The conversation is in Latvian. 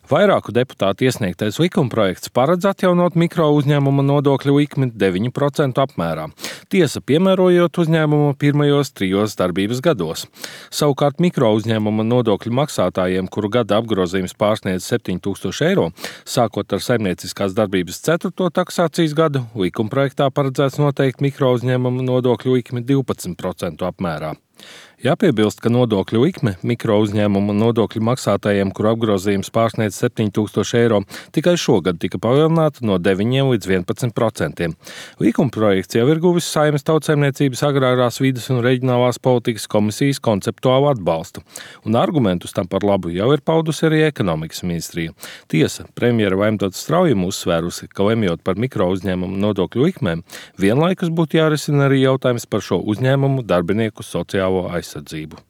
Vairāku deputātu iesniegtais likumprojekts paredz atjaunot mikro uzņēmuma nodokļu likmi 9% apmērā. Tiesa piemērojot uzņēmumu pirmajos 3 darbības gados. Savukārt mikro uzņēmuma nodokļu maksātājiem, kuru gada apgrozījums pārsniedz 7 000 eiro, sākot ar saimnieciskās darbības 4. taksācijas gadu, likumprojektā paredzēts noteikt mikro uzņēmuma nodokļu likmi 12% apmērā. Jāpiebilst, ka nodokļu likme mikro uzņēmumu nodokļu maksātājiem, kuru apgrozījums pārsniedz 7 000 eiro, tikai šogad tika palielināta no 9 līdz 11%. Likumprojekts jau ir guvis Saeimas Tautsaimniecības agrārās vides un reģionālās politikas komisijas konceptuālu atbalstu, un argumentus tam par labu jau ir paudusi arī ekonomikas ministrija. Tiesa, premjera Vaimdots Straujuma uzsvērusi, ka lemjot par mikro uzņēmumu nodokļu likmēm, vienlaikus būtu jārisina arī jautājums par šo uzņēmumu darbinieku sociālo aizsardzību.